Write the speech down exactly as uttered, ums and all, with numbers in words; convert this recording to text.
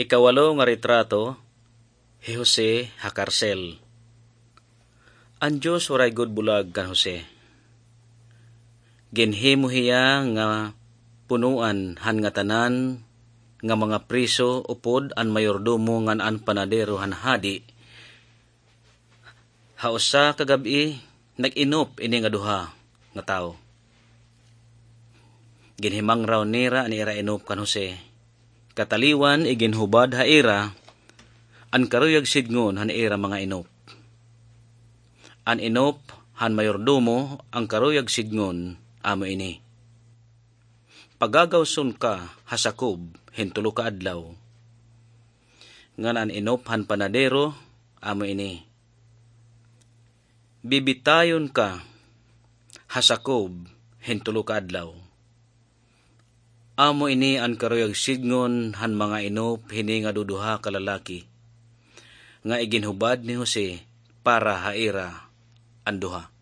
Ikawalo nga retrato, hi Jose ha karsel. An Dios waray gud bulag kan Jose. Ginhimo hiya nga punoan han ngatanan nga mga priso upod an mayordomo ngan an panadero han hadi. Ha usa ka gab-i, nag-inop ini nga duha nga tawo. Ginhimangraw nira an ira inop kan Jose. Kataliwan, iginhubad ha ira an karuyag sidngon han ira mga inop. An inop han mayordomo, an karuyag sidngon, amo ini: Pagagawson ka ha sakob hin tulo ka adlaw. Ngan an inop han panadero, amo ini: Bibitayon ka ha sakob hin tulo ka adlaw. Amo ini an karuyag sidngon han mga inop hini nga duduha ka lalaki, nga iginhubad ni Jose para ha ira an duha.